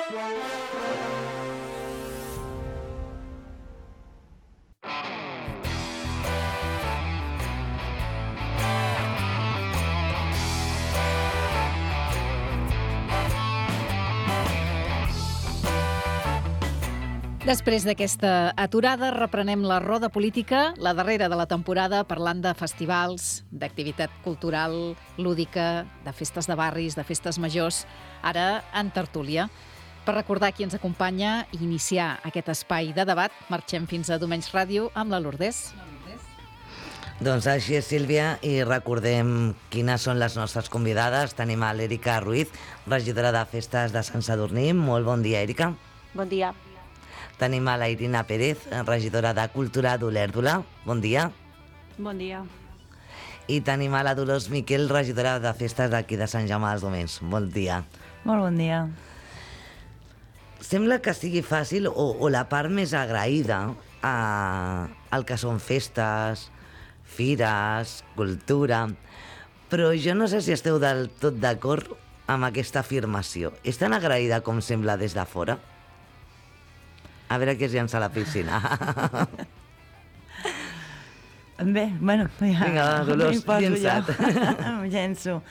Després d'aquesta aturada, reprenem la roda política, la darrera de la temporada, parlant de festivals, d'activitat cultural, lúdica, de festes de barris, de festes majors, ara en tertúlia. Per recordar qui ens acompanya i iniciar aquest espai de debat, marxem fins a Domenys Ràdio amb la Lourdes. Doncs així és, Sílvia, i recordem quines són les nostres convidades. Tenim a l'Èrica Ruiz, regidora de Festes de Sant Sadurní. Molt bon dia, Èrica. Bon dia. Tenim a la Irina Pérez, regidora de Cultura d'Olèrdola. Bon dia. Bon dia. I tenim a la Dolors Miquel, regidora de Festes d'aquí de Sant Jaume dels Domenys. Bon dia. Molt bon dia. Sembla que sigui fàcil o la part més agraïda al que són festes, fires, cultura, però jo no sé si esteu del tot d'acord amb aquesta afirmació. És tan agraïda com sembla des de fora? A veure qui es llença a la piscina. Bé, bueno, ja... Vinga, Dolors, llença't. Em llenço.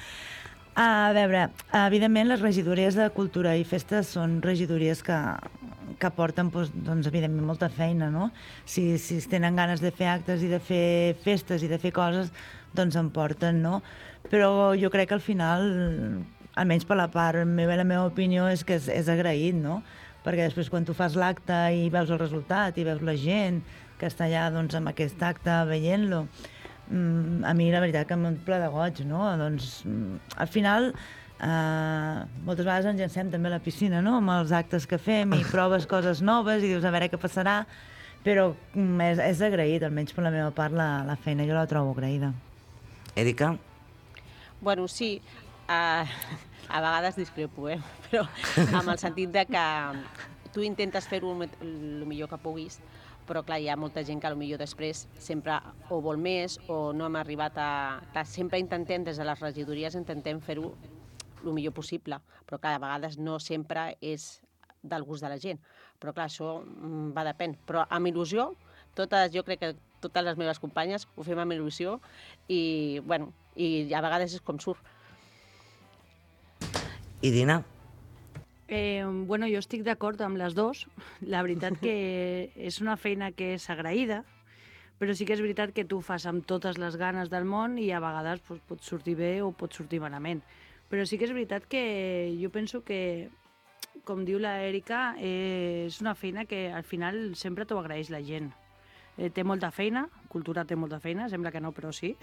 A veure, evidentment les regidories de cultura i festes són regidories que porten, doncs, evidentment, molta feina, no? Si es tenen ganes de fer actes i de fer festes i de fer coses, doncs en porten, no? Però jo crec que al final, almenys per la part meva i la meva opinió, és que és agraït, no? Perquè després quan tu fas l'acte i veus el resultat i veus la gent que està allà doncs, amb aquest acte veient-lo, a mi la veritat que m'omple de goig, no? Doncs al final moltes vegades ens llancem també a la piscina, no? Amb els actes que fem i proves coses noves i dius a veure què passarà, però és agraït, almenys per la meva part, la feina jo la trobo agraïda. Èrica? Bueno, sí, a vegades discrepo, però amb el sentit de que tu intentes fer-ho el millor que puguis, però clar, hi ha molta gent que potser després sempre o vol més o no hem arribat a... Clar, sempre intentem, des de les regidories, intentem fer-ho el millor possible, però clar, a vegades no sempre és del gust de la gent. Però clar, això va depèn. Però amb il·lusió, jo crec que totes les meves companyes ho fem amb il·lusió i, bueno, i a vegades és com surt. I Dina? Bueno, jo estic d'acord amb les dues. La veritat que és una feina que és agraïda, però sí que és veritat que tu fas amb totes les ganes del món i a vegades pot sortir bé o pot sortir malament. Però sí que és veritat que jo penso que, com diu la Èrica, és una feina que al final sempre t'ho agraeix la gent. Té molta feina, cultura té molta feina, sembla que no, però sí,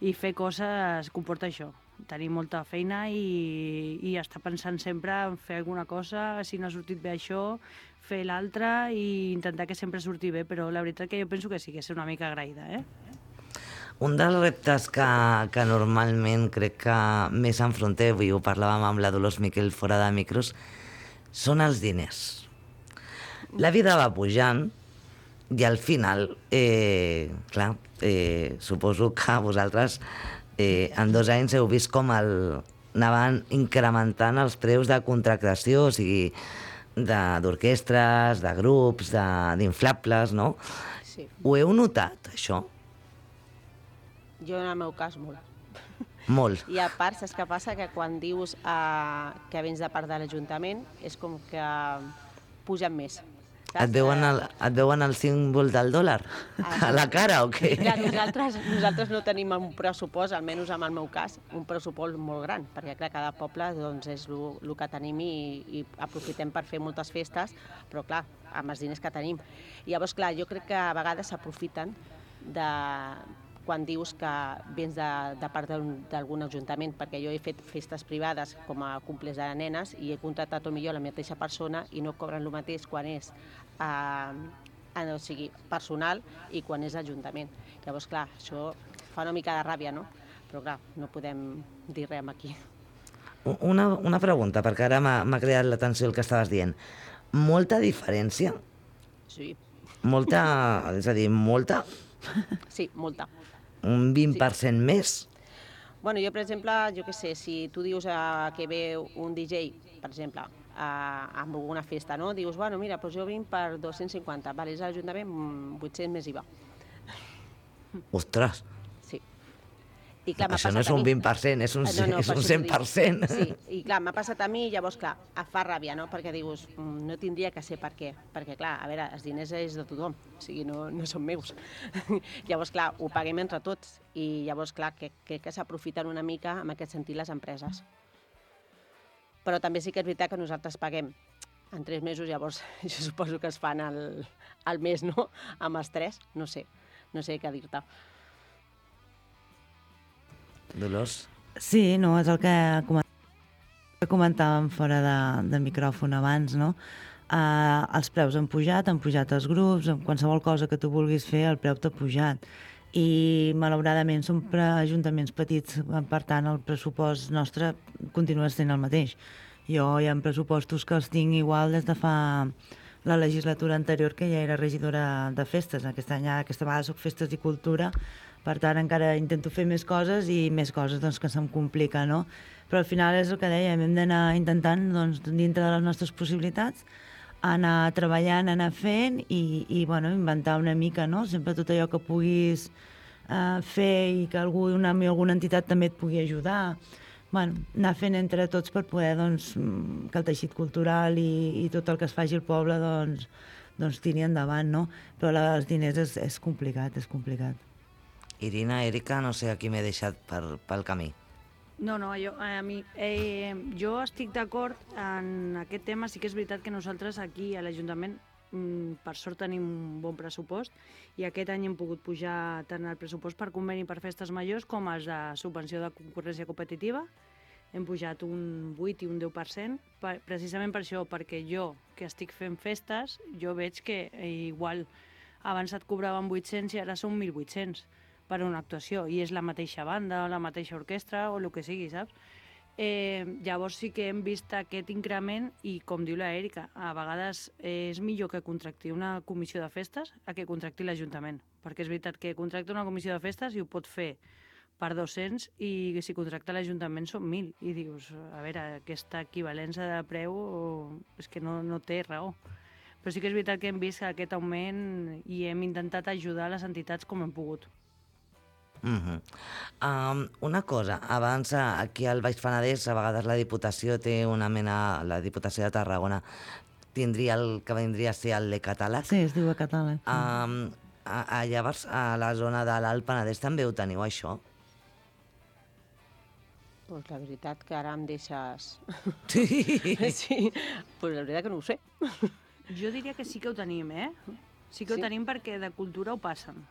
i fer coses comporta això, tenir molta feina i estar pensant sempre en fer alguna cosa, si no ha sortit bé això, fer l'altra i intentar que sempre surti bé, però la veritat que jo penso que sí, que és una mica agraïda, Un dels reptes que normalment crec que més enfronteu, i ho parlàvem amb la Dolors Miquel fora de micros, són els diners. La vida va pujant i al final, clar, suposo que vosaltres en 2 anys heu vist com anaven incrementant els preus de contractació, o sigui, d'orquestres, de grups, d'inflables, no? Sí. Ho heu notat, això? Jo, en el meu cas, molt. Molt. I a part, saps què passa? Que quan dius que vens de part de l'Ajuntament, és com que pugen més. Saps? Et veuen el símbol del dòlar a la cara o què? Clar, nosaltres no tenim un pressupost, almenys en el meu cas, un pressupost molt gran, perquè clar, cada poble doncs, és el que tenim i aprofitem per fer moltes festes, però clar, amb els diners que tenim. I llavors, clar, jo crec que a vegades s'aprofiten quan dius que vens de part d'algun ajuntament, perquè jo he fet festes privades com a cumples de nenes i he contractat potser la mateixa persona i no cobren el mateix quan és personal i quan és ajuntament. Llavors, clar, això fa una mica de ràbia, no? Però clar, no podem dir res aquí. Una pregunta, perquè ara m'ha creat l'atenció el que estaves dient. Molta diferència? Sí. Molta, és a dir, molta? Sí, molta. Un 20% més? Bueno, jo, per exemple, jo què sé, si tu dius que ve un DJ, per exemple, amb alguna festa, no? Dius, bueno, mira, doncs jo vinc per 250, vale, és a l'Ajuntament 800 més IVA. Ostres, Sí. I clar, m'ha això no passat és un a mi. 20%, és un, No, és per un això t'ho dic. 100%. Sí, i clar, m'ha passat a mi i llavors, clar, et fa ràbia, no? Perquè dius, no tindria que ser per què. Perquè, clar, a veure, els diners és de tothom, o sigui, no són meus. Llavors, clar, ho paguem entre tots i llavors, clar, crec que s'aprofiten una mica en aquest sentit les empreses. Però també sí que és veritat que nosaltres paguem en 3 mesos, llavors jo suposo que es fan al mes, no? Amb els 3, no sé què dir-te. Dolors? Sí, no, és el que comentàvem fora de micròfon abans, no? Els preus han pujat els grups, en qualsevol cosa que tu vulguis fer, el preu t'ha pujat. I, malauradament, som ajuntaments petits, per tant, el pressupost nostre continua sent el mateix. Jo hi ha pressupostos que els tinc igual des de fa la legislatura anterior, que ja era regidora de festes. Aquesta vegada soc festes i cultura, per tant, encara intento fer més coses i més coses doncs, que se'm complica, no? Però al final és el que dèiem, hem d'anar intentant, doncs, dintre de les nostres possibilitats, anar treballant, anar fent i bueno, inventar una mica, no? Sempre tot allò que puguis fer i que alguna entitat també et pugui ajudar. Bueno, anar fent entre tots per poder doncs, que el teixit cultural i tot el que es faci al poble doncs tiri endavant, no? Però els diners és complicat, és complicat. Irina, Èrica, no sé a qui m'he deixat pel camí. No, jo estic d'acord en aquest tema. Sí que és veritat que nosaltres aquí a l'Ajuntament per sort tenim un bon pressupost i aquest any hem pogut pujar tant el pressupost per conveni per festes majors com els de subvenció de concurrència competitiva. Hem pujat un 8 i un 10%, precisament per això, perquè jo, que estic fent festes, jo veig que igual abans et cobraven 800 i ara són 1.800 per una actuació, i és la mateixa banda, o la mateixa orquestra, o el que sigui, saps? Llavors sí que hem vist aquest increment i, com diu la Èrica, a vegades és millor que contracti una comissió de festes a que contracti l'Ajuntament, perquè és veritat que contracta una comissió de festes i ho pot fer per 200 i si contracta l'Ajuntament són 1.000 i dius, a veure, aquesta equivalència de preu és que no té raó. Però sí que és veritat que hem vist aquest augment i hem intentat ajudar les entitats com hem pogut. Una cosa, abans aquí al Baix Penedès a vegades la Diputació té una mena, la Diputació de Tarragona tindria el que vindria a ser el de catàleg. Sí, es diu a catàleg. Llavors a la zona de l'Alt Penedès també ho teniu, això? Doncs la veritat que ara em deixes... Sí. Sí, doncs la veritat que no ho sé. Jo diria que sí que ho tenim, Sí que ho tenim perquè de cultura ho passen.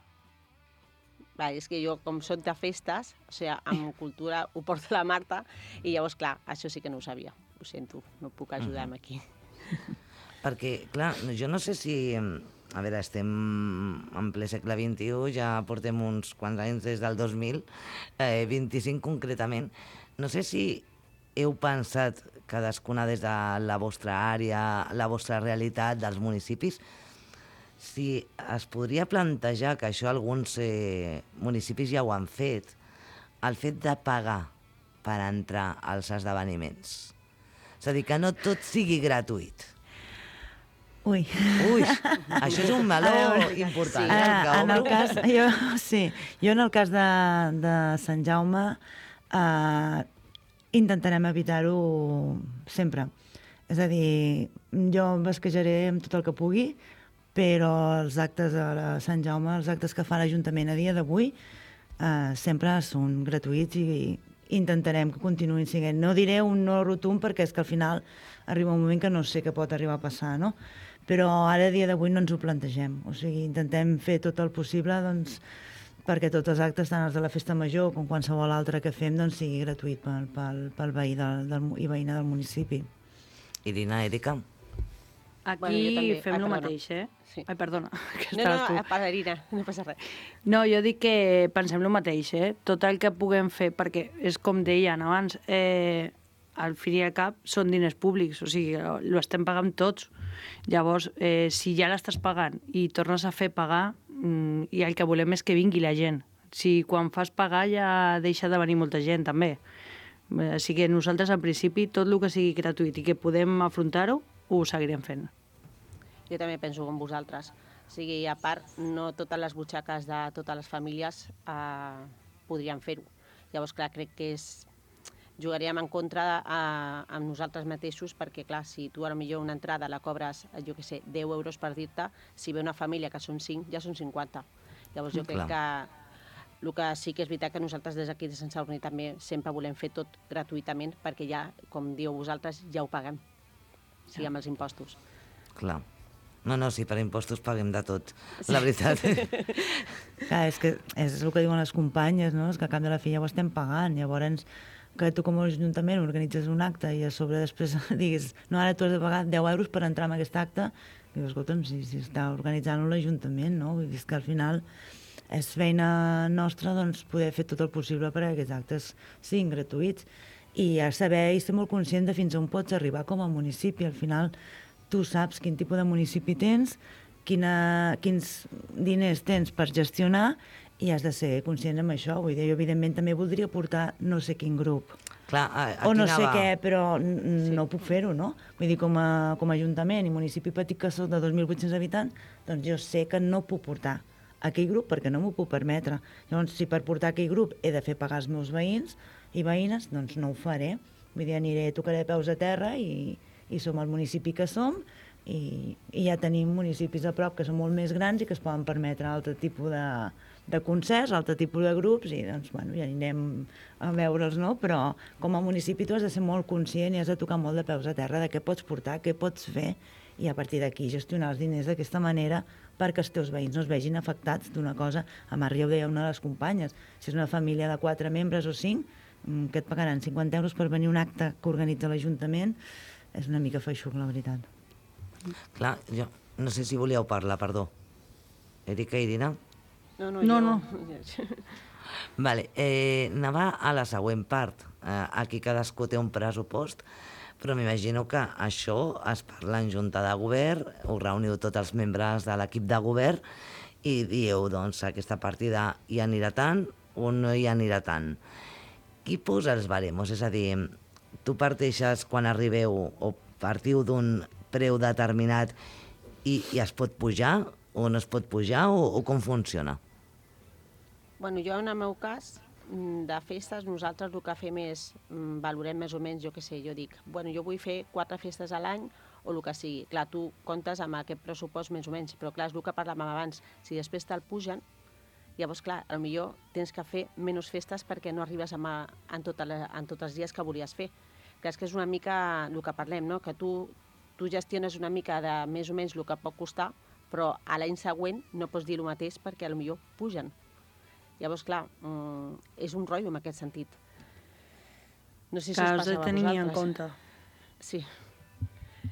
Clar, és que jo, com soc de festes, o sigui, amb cultura ho porta la Marta, i llavors, clar, això sí que no ho sabia. Ho sento, no puc ajudar-me aquí. Perquè, clar, jo no sé si... A veure, estem en ple segle XXI, ja portem uns quants anys des del 2000, 25 concretament. No sé si heu pensat, cadascuna des de la vostra àrea, la vostra realitat dels municipis, si es podria plantejar, que això alguns municipis ja ho han fet, el fet de pagar per entrar als esdeveniments. És a dir, que no tot sigui gratuït. Ui, això és un meló important. En el cas, jo en el cas de Sant Jaume intentarem evitar-ho sempre. És a dir, jo em basquejaré amb tot el que pugui, però els actes a Sant Jaume, els actes que fa l'Ajuntament a dia d'avui, sempre són gratuïts i intentarem que continuïn sent. No diré un no rotund perquè és que al final arriba un moment que no sé què pot arribar a passar, no? Però ara a dia d'avui no ens ho plantegem. O sigui, intentem fer tot el possible doncs, perquè tots els actes, tant els de la festa major com qualsevol altre que fem, doncs, sigui gratuït pel veí i veïna del municipi. Irina, Èrica? Aquí fem el mateix, Sí. Ai, perdona. Irina, no passa res. No, jo dic que pensem el mateix, Tot el que puguem fer, perquè és com deien abans, al fin i al cap són diners públics, o sigui, ho estem pagant tots. Llavors, si ja l'estàs pagant i tornes a fer pagar, i el que volem és que vingui la gent. Si quan fas pagar ja deixa de venir molta gent, també. Així que nosaltres, al principi, tot el que sigui gratuït i que podem afrontar-ho, ho seguirem fent. Jo també penso com vosaltres. O sigui, a part, no totes les butxaques de totes les famílies podrien fer-ho. Llavors, clar, crec que jugaríem en contra amb nosaltres mateixos perquè, clar, si tu potser una entrada la cobres, jo què sé, 10 euros per dir-te, si ve una família que són 5, ja són 50. Llavors jo crec que el que sí que és veritat que nosaltres des d'aquí de Sant Sadurní també sempre volem fer tot gratuïtament perquè ja, com diu vosaltres, ja ho paguem, o sigui, amb els impostos. Clar. No, sí, per impostos paguem de tot, la veritat. Clar, és que és el que diuen les companyes, no? És que a cap de la fi ja ho estem pagant. Llavors, que tu com a ajuntament organitzes un acte i a sobre després diguis no, ara tu has de pagar 10 euros per entrar en aquest acte, i dius, escolta'm, si està organitzant-ho l'Ajuntament, no? Vull dir que al final és feina nostra doncs, poder fer tot el possible perquè aquests actes siguin gratuïts i saber i ser molt conscient de fins on pots arribar com a municipi. Al final tu saps quin tipus de municipi tens, quins diners tens per gestionar i has de ser conscient amb això. Vull dir, jo evidentment també voldria portar no sé quin grup. Clar, o no sé què, però no puc fer-ho, no? Vull dir, com a ajuntament i municipi petit que soc de 2.800 habitants, doncs jo sé que no puc portar aquell grup perquè no m'ho puc permetre. Llavors, si per portar aquell grup he de fer pagar els meus veïns i veïnes, doncs no ho faré. Vull dir, tocaré peus a terra i som el municipi que som i ja tenim municipis a prop que són molt més grans i que es poden permetre altre tipus de concerts, altre tipus de grups i doncs, bueno, ja anirem a veure'ls, no? Però com a municipi tu has de ser molt conscient i has de tocar molt de peus a terra de què pots portar, què pots fer i a partir d'aquí gestionar els diners d'aquesta manera perquè els teus veïns no es vegin afectats d'una cosa. A Marri ho deia una de les companyes, si és una família de 4 membres o 5, que et pagaran 50 euros per venir a un acte que organitza l'Ajuntament, és una mica feixuc, la veritat. Clar, jo no sé si volíeu parlar, perdó. Erika, Irina? No. Vale, anava a la següent part. Aquí cadascú té un pressupost, però m'imagino que això es parla en junta de govern, us reuniu tots els membres de l'equip de govern i dieu, doncs, aquesta partida hi anirà tant o no hi anirà tant. Qui posa els baremos? És a dir, tu parteixes quan arribeu o partiu d'un preu determinat i es pot pujar o no es pot pujar o com funciona? Bueno, jo en el meu cas, de festes, nosaltres el que fem és, valorem més o menys, jo què sé, jo dic, bueno, jo vull fer 4 festes a l'any o el que sigui. Clar, tu comptes amb aquest pressupost més o menys, però clar, és el que parlàvem abans, si després te'l pugen, llavors, clar, potser tens que fer menys festes perquè no arribes en tots els dies que volies fer. Clar, és que és una mica el que parlem, no? Que tu gestiones una mica de més o menys el que pot costar, però a l'any següent no pots dir el mateix perquè potser pugen. Llavors, clar, és un rotllo en aquest sentit. No sé si us has passa de a tenir vosaltres. en compte. Sí.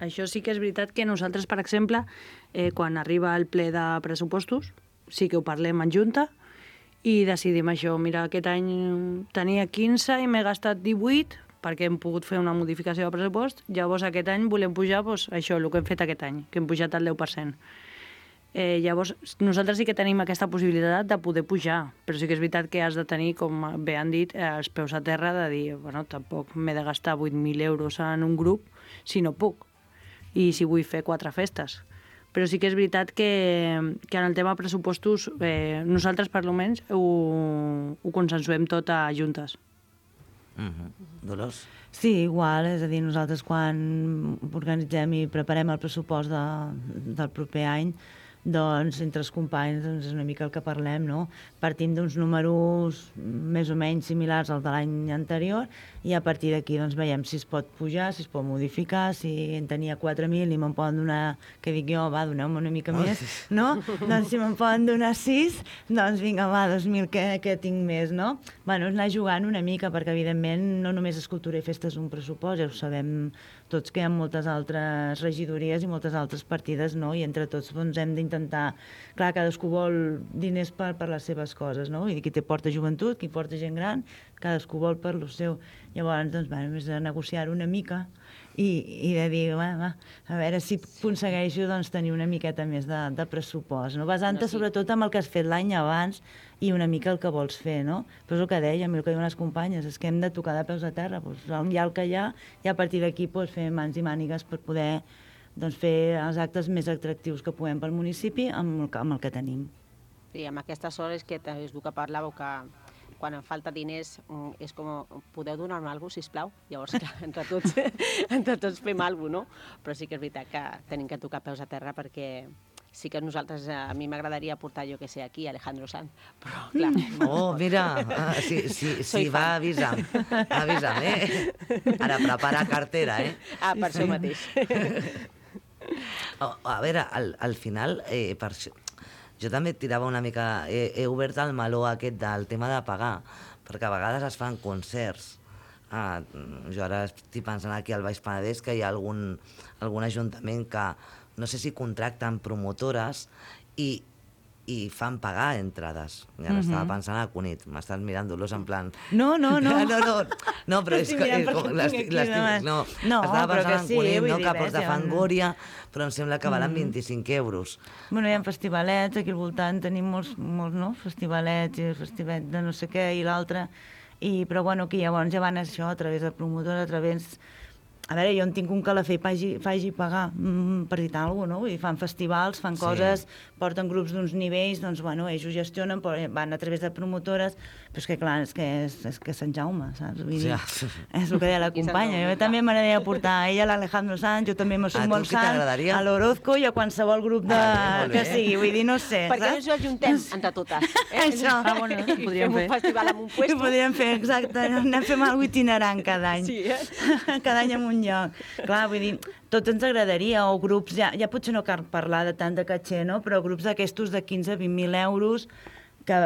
Això sí que és veritat que nosaltres, per exemple, quan arriba el ple de pressupostos, sí que ho parlem en junta i decidim això. Mira, aquest any tenia 15 i m'he gastat 18 perquè hem pogut fer una modificació de pressupost. Llavors, aquest any volem pujar doncs, això, el que hem fet aquest any, que hem pujat el 10%. Llavors, nosaltres sí que tenim aquesta possibilitat de poder pujar, però sí que és veritat que has de tenir, com bé han dit, els peus a terra de dir, bueno, tampoc m'he de gastar 8.000 euros en un grup si no puc, i si vull fer 4 festes. Però sí que és veritat que en el tema pressupostos nosaltres, per almenys, ho consensuem tot a juntes. Dolors? Sí, igual, és a dir, nosaltres quan organitzem i preparem el pressupost del proper any, doncs entre els companys doncs, és una mica el que parlem, no? Partim d'uns números més o menys similars al de l'any anterior i a partir d'aquí doncs, veiem si es pot pujar, si es pot modificar, si en tenia 4.000 i me'n poden donar, que dic jo, va, doneu-me una mica més, no? Doncs si me'n poden donar 6, doncs vinga, va, 2.000 que tinc més, no? Bueno, és anar jugant una mica, perquè evidentment no només és cultura i festa és un pressupost, ja ho sabem tots que hi ha moltes altres regidories i moltes altres partides, no? I entre tots doncs, hem d'intentar... Clar, cadascú vol diners per les seves coses, no? Vull dir, qui té porta joventut, qui porta gent gran, cadascú vol per lo seu. Llavors, doncs, és de negociar una mica i de dir, va, a veure si aconsegueixo doncs, tenir una miqueta més de pressupost, no? Basant-te sobretot en el que has fet l'any abans i una mica el que vols fer, no? Però és el que dèiem, el que diuen les companyes, és que hem de tocar de peus a terra, doncs, hi ha el que hi ha, i a partir d'aquí doncs, fer mans i mànigues per poder doncs, fer els actes més atractius que puguem pel municipi amb el que tenim. Sí, amb aquestes hores que és el que parlàveu, que quan em falta diners és com, podeu donar-me alguna cosa, sisplau? Llavors, clar, entre tots fem alguna cosa, no? Però sí que és veritat que tenim que tocar peus a terra perquè sí que nosaltres, a mi m'agradaria portar, jo que sé, aquí Alejandro Sanz, però clar... Oh, mira, sí, va, avisa'm, Ara prepara cartera, Ah, per això mateix. A veure, al final, per això, jo també tirava una mica, he obert el meló aquest del tema de pagar, perquè a vegades es fan concerts. Jo ara estic pensant aquí al Baix Penedès que hi ha algun ajuntament que no sé si contracten promotores i fan pagar entrades. I ara estava pensant a Cunit, m'estàs mirant dolors en plan... No, però és que... Estava pensant en Cunit, que a Ports de Fangoria, però em sembla que valen 25 euros. Bueno, hi ha festivalets, aquí al voltant tenim molts festivalets, i el festivalet de no sé què i l'altre, però bueno, aquí llavors ja van això a través de promotors, a través... A veure, jo en tinc un calafell faci pagar, per dir alguna cosa, no? Vull dir, fan festivals, fan coses, porten grups d'uns nivells, doncs, bueno, ells ho gestionen, van a través de promotores, però és que, clar, és que Sant Jaume, saps? Vull dir, és el que deia la companya. Jo també m'agradaria portar a ella, l'Alejandro Sanz, jo també me sumo al Sant, a l'Orozco i a qualsevol grup que sigui, vull dir, no sé, saps? Perquè ens ho ajuntem entre totes. Això. Bueno, podríem fer. Un festival amb un puesto. Podríem fer, exacte, anem fent alguna itinerant cada any. Sí, cada any en un lloc. Clar, vull dir, tot ens agradaria, o grups, ja potser no cal parlar de tant de caché, no? Però grups d'aquestos de 15-20.000 euros que,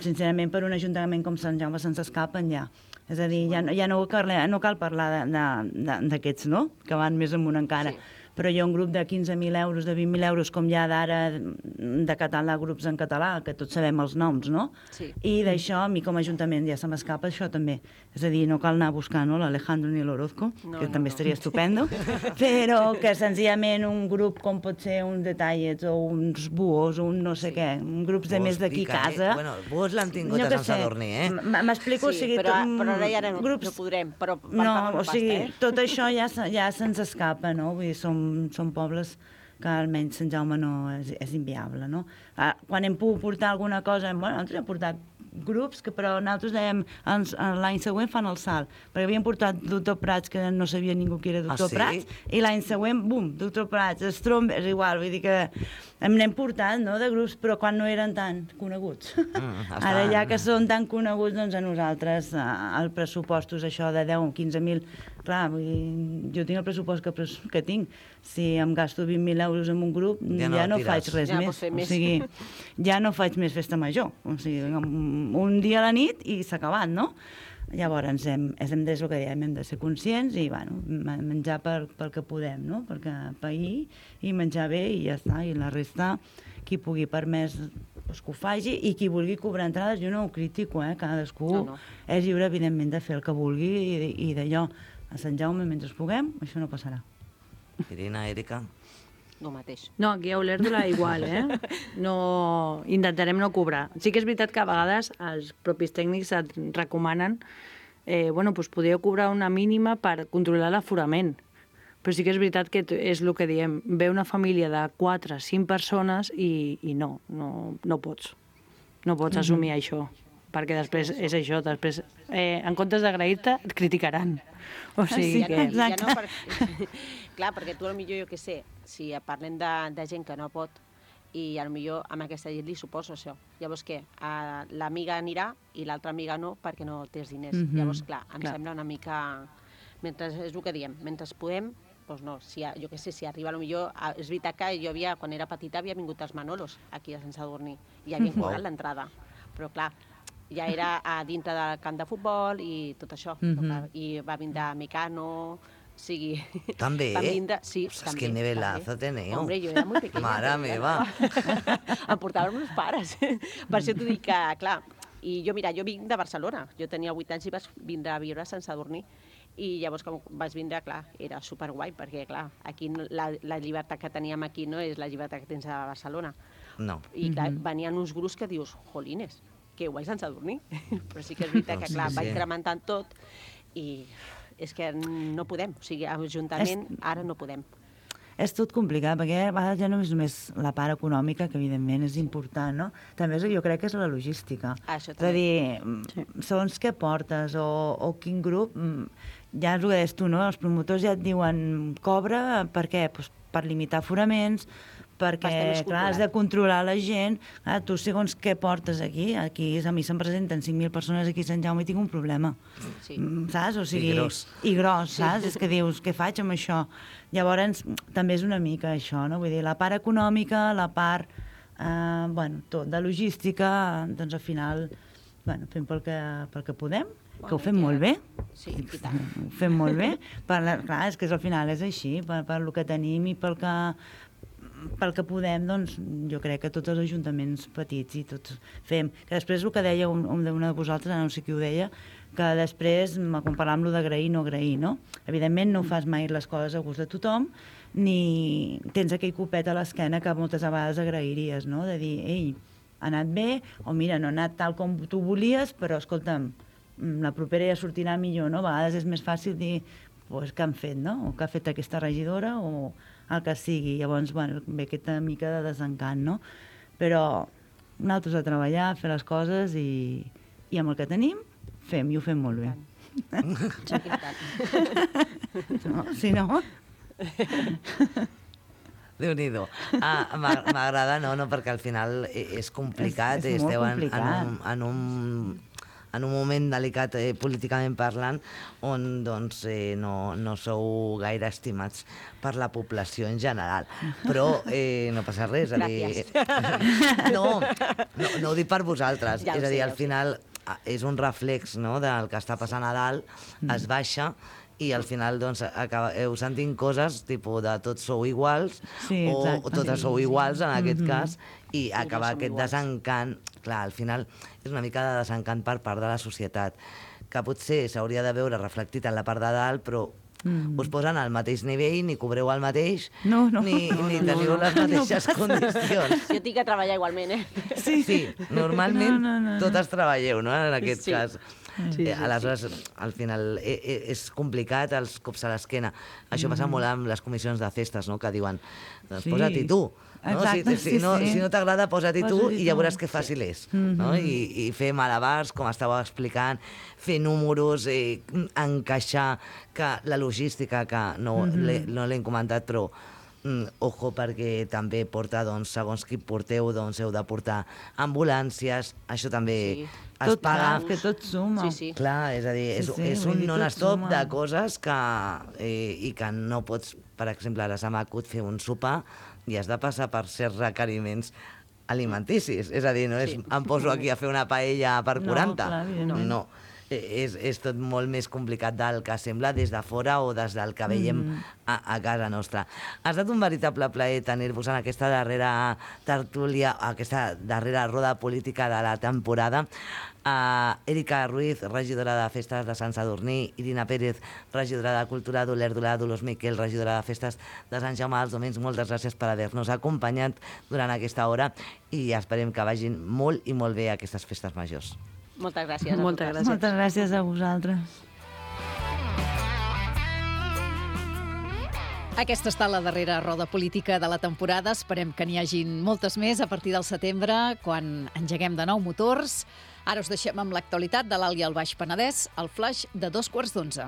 sincerament, per un ajuntament com Sant Jaume se'ns escapen ja. És a dir, ja no cal parlar d'aquests, no? Que van més amunt encara. Sí. Però hi ha un grup de 15.000 euros, de 20.000 euros, com hi ha d'ara de català, grups en català, que tots sabem els noms, no? Sí. I d'això, a mi com a ajuntament ja se m'escapa això també. És a dir, no cal anar a buscar l'Alejandro ni l'Orozco, que també estaria estupendo, però que senzillament un grup com pot ser uns Detallets o uns Buos o un no sé què, grups de més d'aquí casa... Bueno, Buos l'han tingut a Sant Sadurní, M'explico, o sigui... Però ara ja no podrem, però no, o sigui, tot això ja se'ns escapa, no? Vull dir, són pobles que almenys Sant Jaume no és inviable, no? Quan hem pogut portar alguna cosa, bueno, nosaltres hem portat grups que però nosaltres dèiem l'any següent fan el salt, perquè havíem portat Doctor Prats, que no sabia ningú que era Doctor Prats, i l'any següent, bum, Doctor Prats, Stromberg, és igual, vull dir que n'hem portat, no?, de grups, però quan no eren tan coneguts. Ara ja que són tan coneguts, doncs a nosaltres el pressupost és això de 10 o 15.000, clar, vull dir, jo tinc el pressupost que tinc, si em gasto 20.000 euros en un grup, ja no faig res més, o sigui, ja no faig més festa major, o sigui, un dia a la nit i s'ha acabat, no? Llavors hem de ser conscients i bueno, menjar pel que podem, no? Perquè pair i menjar bé i ja està, i la resta qui pugui per més doncs, que ho faci, i qui vulgui cobrar entrades jo no ho critico, cadascú és lliure evidentment de fer el que vulgui i d'allò a Sant Jaume mentre puguem, això no passarà. Irina, Èrica? No mateix. No, aquí a Olèrdola igual, No, intentarem no cobrar. Sí que és veritat que a vegades els propis tècnics et recomanen doncs podríeu cobrar una mínima per controlar l'aforament. Però sí que és veritat que és el que diem. Ve una família de 4 o 5 persones i no pots. No pots assumir això. Perquè després és això, després en comptes d'agrair-te et criticaran. O sigui que... Ja no clar, perquè tu potser, jo què sé, si parlem de gent que no pot i potser amb aquesta llet li suposo això. Llavors què? L'amiga anirà i l'altra amiga no perquè no tens diners. Llavors, clar, em sembla una mica... És el que diem, mentre podem, doncs no, jo què sé, si arriba potser... És veritat que jo quan era petita havia vingut als Manolos, aquí a Sant Sadurní, i havien cobrat l'entrada. Però clar, ja era a dintre del camp de futbol i tot això. I va vindre Mecano, o sigui... També? Sí, pues també. Que nivelazo teneu. Hombre, jo era molt pequeña. Mare meva. Em portaven meus pares. Per això t'ho dic que, clar, I jo vinc de Barcelona. Jo tenia 8 anys i vaig vindre a viure a Sant Sadurní. I llavors, com vaig vindre, clar, era superguai, perquè, clar, aquí la llibertat que teníem aquí no és la llibertat que tens a Barcelona. No. I, clar, venien uns grups que dius, jolines, que guai Sant Sadurní. Però sí que és veritat que, clar, va incrementant tot i és que no podem. O sigui, ajuntament, ara no podem. És tot complicat, perquè a vegades ja no és només la part econòmica, que evidentment és important, no? També jo crec que és la logística. Això és a dir, segons què portes o quin grup, ja és el que deies tu, no? Els promotors ja et diuen cobra, per què? Pues per limitar aforaments, perquè, clar, has de controlar la gent. Clar, tu, segons què portes aquí, a mi se'm presenten 5.000 persones aquí a Sant Jaume i tinc un problema. Sí. Saps? O sigui, I gros, saps? És que dius, què faig amb això? Llavors, també és una mica això, no? Vull dir, la part econòmica, la part, tot, de logística, doncs al final, fem pel que podem, que ho fem molt bé. Sí, i tant. Ho fem molt bé. Clar, és que al final és així, per el que tenim i pel que podem, doncs, jo crec que tots els ajuntaments petits i tots fem. Que després el que deia una de vosaltres, no sé qui ho deia, que després, quan parlàvem d'agrair, no agrair, no? Evidentment no fas mai les coses a gust de tothom, ni tens aquell copet a l'esquena que moltes vegades agrairies, no? De dir, ei, ha anat bé, o mira, no ha anat tal com tu volies, però escolta'm, la propera ja sortirà millor, no? A vegades és més fàcil dir, pues, què han fet, no? O què ha fet aquesta regidora, o el que sigui. Llavors, ve aquesta mica de desencant, no? Però nosaltres a treballar, a fer les coses i amb el que tenim, fem, i ho fem molt bé. No, si no... Déu-n'hi-do. M'agrada, no, perquè al final és complicat. És molt complicat. En un moment delicat políticament parlant, on doncs, no sou gaire estimats per la població en general. Però no passa res. Gràcies. No ho dic per vosaltres. És a dir, al final és un reflex, no, del que està passant a dalt, es baixa, i al final doncs, acabeu sentint coses tipus de tots sou iguals, o totes sou iguals en aquest cas, i acabar aquest desencant. Clar, al final és una mica de desencant per part de la societat, que potser s'hauria de veure reflectit en la part de dalt, però us posen al mateix nivell, ni cobreu el mateix, ni teniu les mateixes condicions. Jo tinc que treballar igualment, Sí, normalment totes treballeu, no?, en aquest cas. Aleshores, al final és complicat, els cops a l'esquena. Això passa molt amb les comissions de festes, no?, que diuen, doncs posa-t'hi tu. Si no t'agrada, posa-t'hi tu i ja veuràs que fàcil és. I fer malabars, com estàveu explicant, fer números, encaixar la logística, que no l'hem comentat, però ojo, perquè també porta, segons qui porteu, heu de portar ambulàncies, això també es paga. Que tot suma. Clar, és a dir, és un non-stop de coses i que no pots, per exemple, ara se m'acut fer un sopar i has de passar per certs requeriments alimenticis. És a dir, no és em poso aquí a fer una paella per 40. No. És tot molt més complicat del que sembla des de fora o des del que veiem a casa nostra. Ha estat un veritable plaer tenir-vos en aquesta darrera tertúlia, aquesta darrera roda política de la temporada. Erika Ruiz, regidora de Festes de Sant Sadurní, Irina Pérez, regidora de Cultura d'Olèrdola, Dolors Miquel, regidora de Festes de Sant Jaume dels Domenys, moltes gràcies per haver-nos acompanyat durant aquesta hora i esperem que vagin molt i molt bé aquestes festes majors. Moltes gràcies. Moltes gràcies a vosaltres. Aquesta ha estat la darrera roda política de la temporada. Esperem que n'hi hagin moltes més a partir del setembre, quan engeguem de nou motors. Ara us deixem amb l'actualitat de l'Alt i el Baix Penedès, el flaix de 11:15.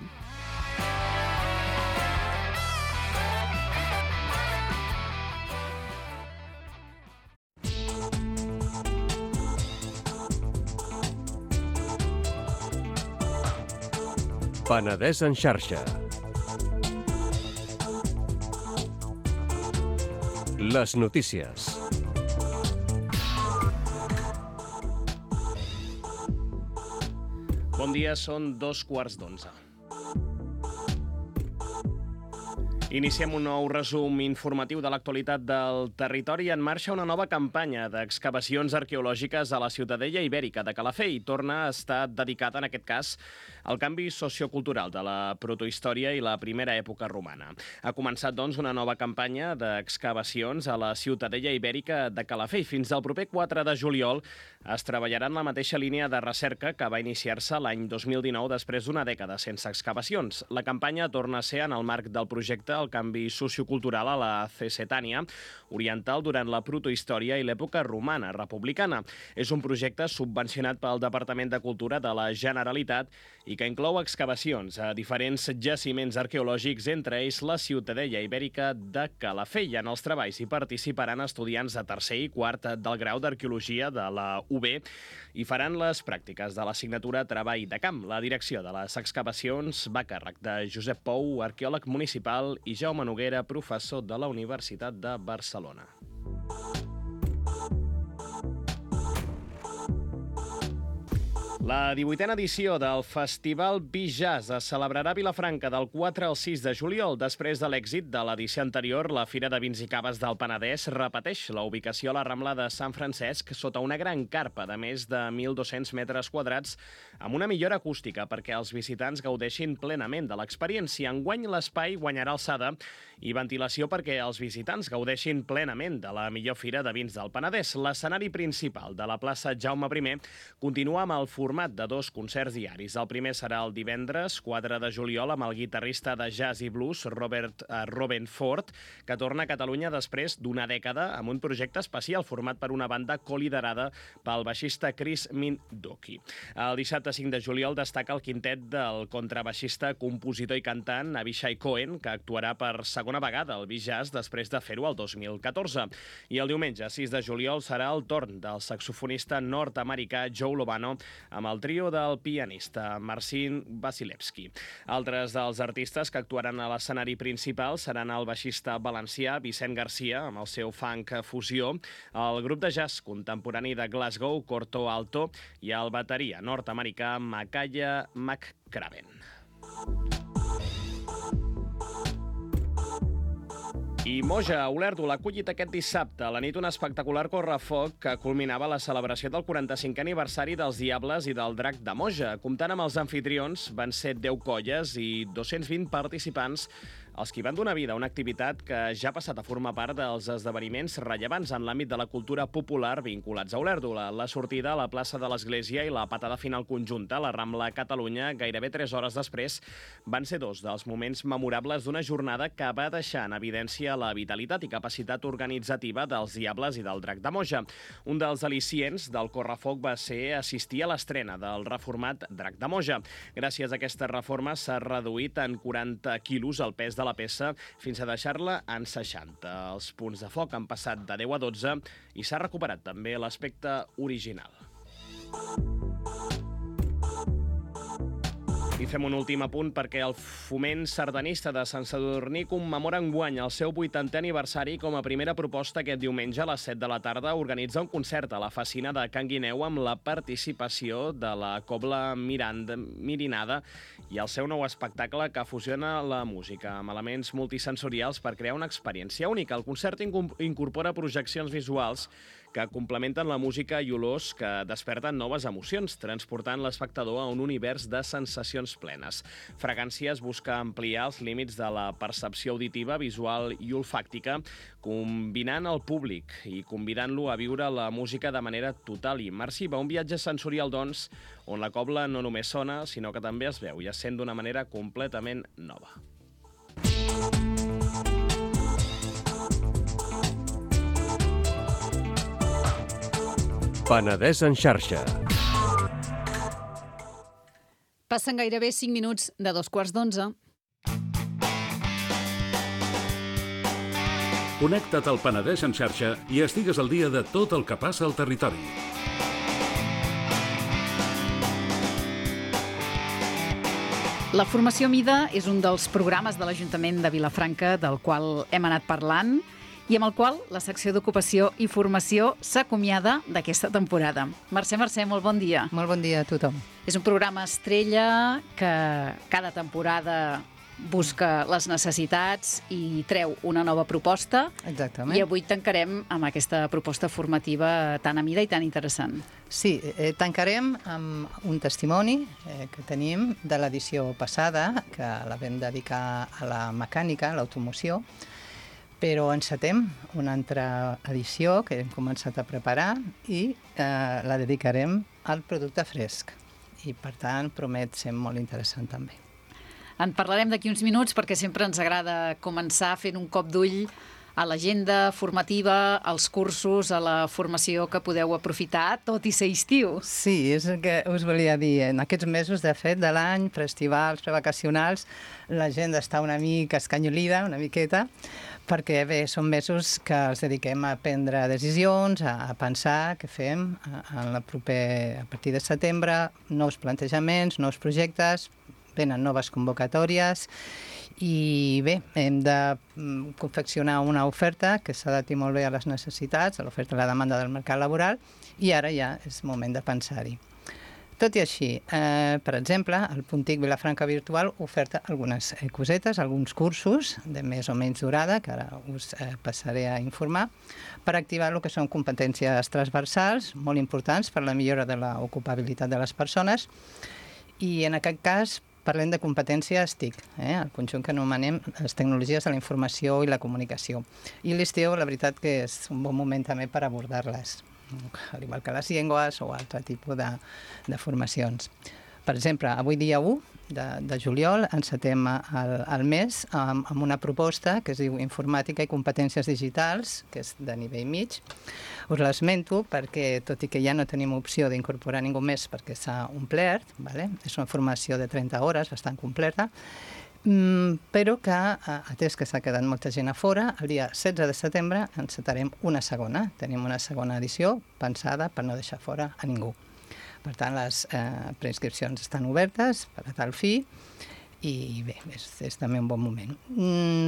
Penedès en xarxa. Les notícies. Bon dia, són 11:15. Iniciem un nou resum informatiu de l'actualitat del territori. En marxa una nova campanya d'excavacions arqueològiques a la Ciutadella Ibèrica de Calafell i torna a estar dedicada, en aquest cas, al canvi sociocultural de la protohistòria i la primera època romana. Ha començat, doncs, una nova campanya d'excavacions a la Ciutadella Ibèrica de Calafell. Fins al proper 4 de juliol es treballarà en la mateixa línia de recerca que va iniciar-se l'any 2019 després d'una dècada sense excavacions. La campanya torna a ser en el marc del projecte El canvi sociocultural a la Cessetània oriental durant la protohistòria i l'època romana republicana. És un projecte subvencionat pel Departament de Cultura de la Generalitat i que inclou excavacions a diferents jaciments arqueològics, entre ells la Ciutadella Ibèrica de Calafell. En els treballs hi participaran estudiants de tercer i quart del grau d'Arqueologia de la UB i faran les pràctiques de l'assignatura Treball de Camp. La direcció de les excavacions va a càrrec de Josep Pou, arqueòleg municipal, i Jaume Noguera, professor de la Universitat de Barcelona. La 18a edició del Festival Bijazz es celebrarà a Vilafranca del 4 al 6 de juliol. Després de l'èxit de l'edició anterior, la Fira de Vins i Caves del Penedès repeteix la ubicació a la Rambla de Sant Francesc sota una gran carpa de més de 1.200 metres quadrats amb una millora acústica perquè els visitants gaudeixin plenament de l'experiència. Enguany l'espai guanyarà alçada i ventilació perquè els visitants gaudeixin plenament de la millor Fira de Vins del Penedès. L'escenari principal de la plaça Jaume I continua amb el format de 2 concerts diaris. El primer serà el divendres 4 de juliol amb el guitarrista de jazz i blues Robin Ford, que torna a Catalunya després d'una dècada amb un projecte especial format per una banda coliderada pel baixista Chris Mindoki. El dissabte 5 de juliol destaca el quintet del contrabaixista, compositor i cantant Avishai Cohen, que actuarà per segona vegada al Bijazz després de fer-ho el 2014. I el diumenge 6 de juliol serà el torn del saxofonista nord-americà Joe Lovano amb el trio del pianista Marcin Vasilevski. Altres dels artistes que actuaran a l'escenari principal seran el baixista valencià Vicent Garcia, amb el seu funk fusió, el grup de jazz contemporani de Glasgow, Corto Alto, i el bateria nord-americà Makaya McCraven. I Moja, a Olèrdola, ha acollit aquest dissabte a la nit un espectacular correfoc que culminava la celebració del 45è aniversari dels Diables i del Drac de Moja. Comptant amb els anfitrions, van ser 10 colles i 220 participants els que van donar vida a una activitat que ja ha passat a formar part dels esdeveniments rellevants en l'àmbit de la cultura popular vinculats a Olèrdola. La sortida a la plaça de l'Església i la patada final conjunta a la Rambla Catalunya, gairebé 3 hores després, van ser 2 dels moments memorables d'una jornada que va deixar en evidència la vitalitat i capacitat organitzativa dels Diables i del Drac de Moja. Un dels al·licients del correfoc va ser assistir a l'estrena del reformat Drac de Moja. Gràcies a aquesta reforma s'ha reduït en 40 quilos el pes de la peça fins a deixar-la en 60. Els punts de foc han passat de 10 a 12 i s'ha recuperat també l'aspecte original. I fem un últim apunt perquè el Foment Sardanista de Sant Sadurní commemora enguany el seu 80è aniversari. Com a primera proposta, aquest diumenge a les 7 de la tarda organitza un concert a la Facina de Can Guineu amb la participació de la Cobla Mirinada i el seu nou espectacle que fusiona la música amb elements multisensorials per crear una experiència única. El concert incorpora projeccions visuals que complementen la música i olors que desperten noves emocions, transportant l'espectador a un univers de sensacions plenes. Fragàncies busca ampliar els límits de la percepció auditiva, visual i olfàctica, combinant el públic i convidant-lo a viure la música de manera total i immersiva. Un viatge sensorial, doncs, on la cobla no només sona, sinó que també es veu i es sent d'una manera completament nova. Penedès en xarxa. Passen gairebé 5 minuts de 11:15. Connecta't al Penedès en xarxa i estigues al dia de tot el que passa al territori. La formació Mida és un dels programes de l'Ajuntament de Vilafranca del qual hem anat parlant i amb el qual la secció d'Ocupació i Formació s'acomiada d'aquesta temporada. Mercè, molt bon dia. Molt bon dia a tothom. És un programa estrella que cada temporada busca les necessitats i treu una nova proposta. Exactament. I avui tancarem amb aquesta proposta formativa tan a mida i tan interessant. Sí, tancarem amb un testimoni que tenim de l'edició passada, que la vam dedicar a la mecànica, a l'automoció, però encetem una altra edició que hem començat a preparar i la dedicarem al producte fresc. I, per tant, promet ser molt interessant també. En parlarem d'aquí uns minuts perquè sempre ens agrada començar fent un cop d'ull a l'agenda formativa, als cursos, a la formació que podeu aprofitar, tot i ser estiu. Sí, és el que us volia dir. En aquests mesos, de fet, de l'any, festivals, prevacacionals, l'agenda està una mica escanyolida, una miqueta, perquè bé, són mesos que els dediquem a prendre decisions, a pensar què fem a partir de setembre, nous plantejaments, nous projectes, venen noves convocatòries i bé, hem de confeccionar una oferta que s'adapti molt bé a les necessitats, a l'oferta i la demanda del mercat laboral, i ara ja és moment de pensar-hi. Tot i així, per exemple, el Puntic Vilafranca Virtual oferta algunes cosetes, alguns cursos de més o menys durada, que ara us passaré a informar, per activar el que són competències transversals, molt importants per la millora de l'ocupabilitat de les persones, i en aquest cas parlem de competències TIC, el conjunt que anomenem les tecnologies de la informació i la comunicació. I l'estiu, la veritat que és un bon moment també per abordar-les, al igual que les llengües o altre tipus de formacions. Per exemple, avui dia 1 de juliol encetem el mes amb una proposta que es diu Informàtica i competències digitals, que és de nivell mig. Us l'esmento perquè, tot i que ja no tenim opció d'incorporar ningú més perquè s'ha omplert, és una formació de 30 hores, bastant completa, però que, atès que s'ha quedat molta gent a fora, el dia 16 de setembre encetarem una segona. Tenim una segona edició pensada per no deixar fora a ningú. Per tant, les preinscripcions estan obertes per a tal fi i bé, és també un bon moment.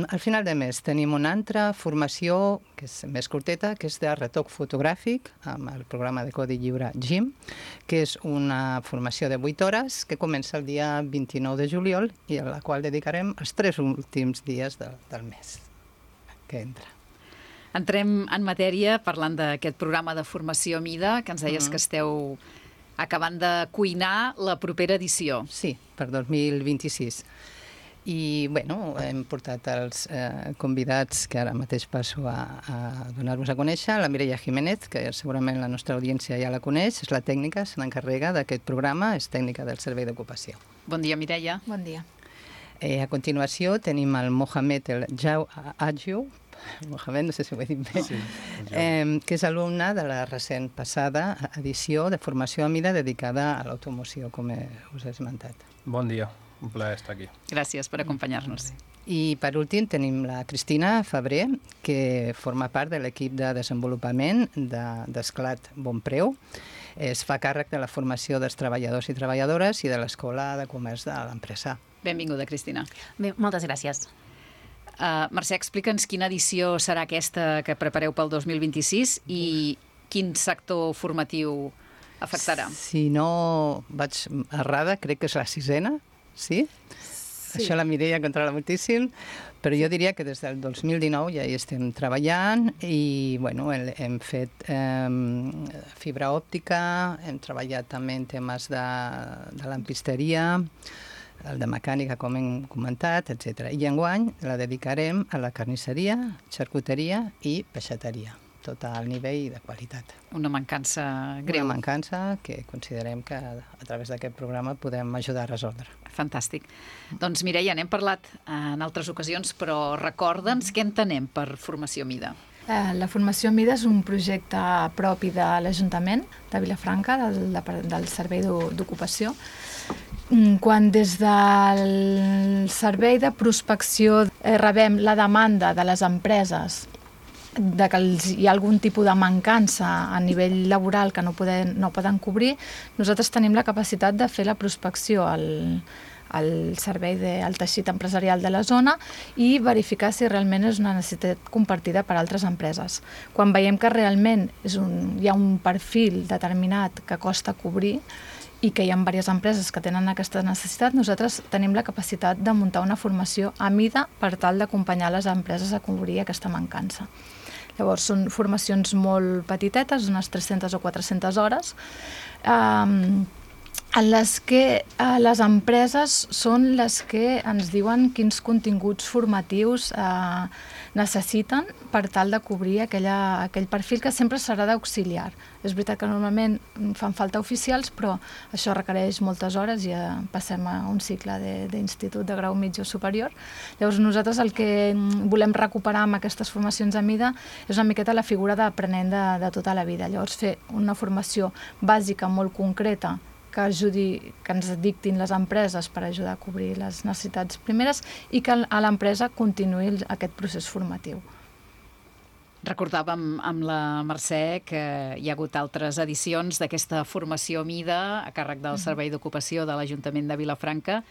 Al final de mes tenim una altra formació que és més curteta, que és de retoc fotogràfic amb el programa de codi lliure GIM, que és una formació de 8 hores que comença el dia 29 de juliol i a la qual dedicarem els 3 últims dies del mes que entra. Entrem en matèria parlant d'aquest programa de formació Mida, que ens deies que esteu acabant de cuinar la propera edició. Sí, per 2026. I, bueno, hem portat els convidats que ara mateix passo a donar-vos a conèixer. La Mireia Jiménez, que segurament la nostra audiència ja la coneix, és la tècnica, se n'encarrega d'aquest programa, és tècnica del Servei d'Ocupació. Bon dia, Mireia. Bon dia. A continuació tenim el Mohamed El Jau Adjou, Mohamed, no sé si ho he dit bé, que és alumne de la recent passada edició de formació a mida dedicada a l'automoció, com us he esmentat. Bon dia, un plaer estar aquí. Gràcies per acompanyar-nos. I per últim tenim la Cristina Febrer, que forma part de l'equip de desenvolupament d'Esclat Bonpreu. Es fa càrrec de la formació dels treballadors i treballadores i de l'Escola de Comerç de l'empresa. Benvinguda, Cristina. Bé, moltes gràcies. Mercè, explica'ns quina edició serà aquesta que prepareu pel 2026 i quin sector formatiu afectarà. Si no vaig errada, crec que és la 6ena, sí? Això la Mireia controla moltíssim, però jo diria que des del 2019 ja hi estem treballant i bueno, hem fet fibra òptica, hem treballat també en temes de lampisteria, el de mecànica, com hem comentat, etc. I enguany la dedicarem a la carnisseria, xarcuteria i peixateria, tot al nivell de qualitat. Una mancança greu. Una mancança que considerem que a través d'aquest programa podem ajudar a resoldre. Fantàstic. Doncs Mireia, n'hem parlat en altres ocasions, però recorda'ns què entenem per formació Mida. La formació Mida és un projecte propi de l'Ajuntament de Vilafranca, del Servei d'Ocupació, quan des del Servei de Prospecció rebem la demanda de les empreses de que hi ha algun tipus de mancança a nivell laboral que no poden cobrir, nosaltres tenim la capacitat de fer la prospecció al servei del teixit empresarial de la zona i verificar si realment és una necessitat compartida per altres empreses. Quan veiem que realment hi ha un perfil determinat que costa cobrir i que hi ha diverses empreses que tenen aquesta necessitat, nosaltres tenim la capacitat de muntar una formació a mida per tal d'acompanyar les empreses a cobrir aquesta mancança. Llavors, són formacions molt petitetes, unes 300 o 400 hores, en les que les empreses són les que ens diuen quins continguts formatius necessiten per tal de cobrir aquell perfil que sempre serà d'auxiliar. És veritat que normalment fan falta oficials, però això requereix moltes hores i passem a un cicle d'institut de grau mitjà o superior. Llavors nosaltres el que volem recuperar amb aquestes formacions a mida és una miqueta la figura d'aprenent de tota la vida. Llavors fer una formació bàsica molt concreta que ens dictin les empreses per ajudar a cobrir les necessitats primeres i que a l'empresa continuï aquest procés formatiu. Recordàvem amb la Mercè que hi ha hagut altres edicions d'aquesta formació a mida a càrrec del Servei d'Ocupació de l'Ajuntament de Vilafranca.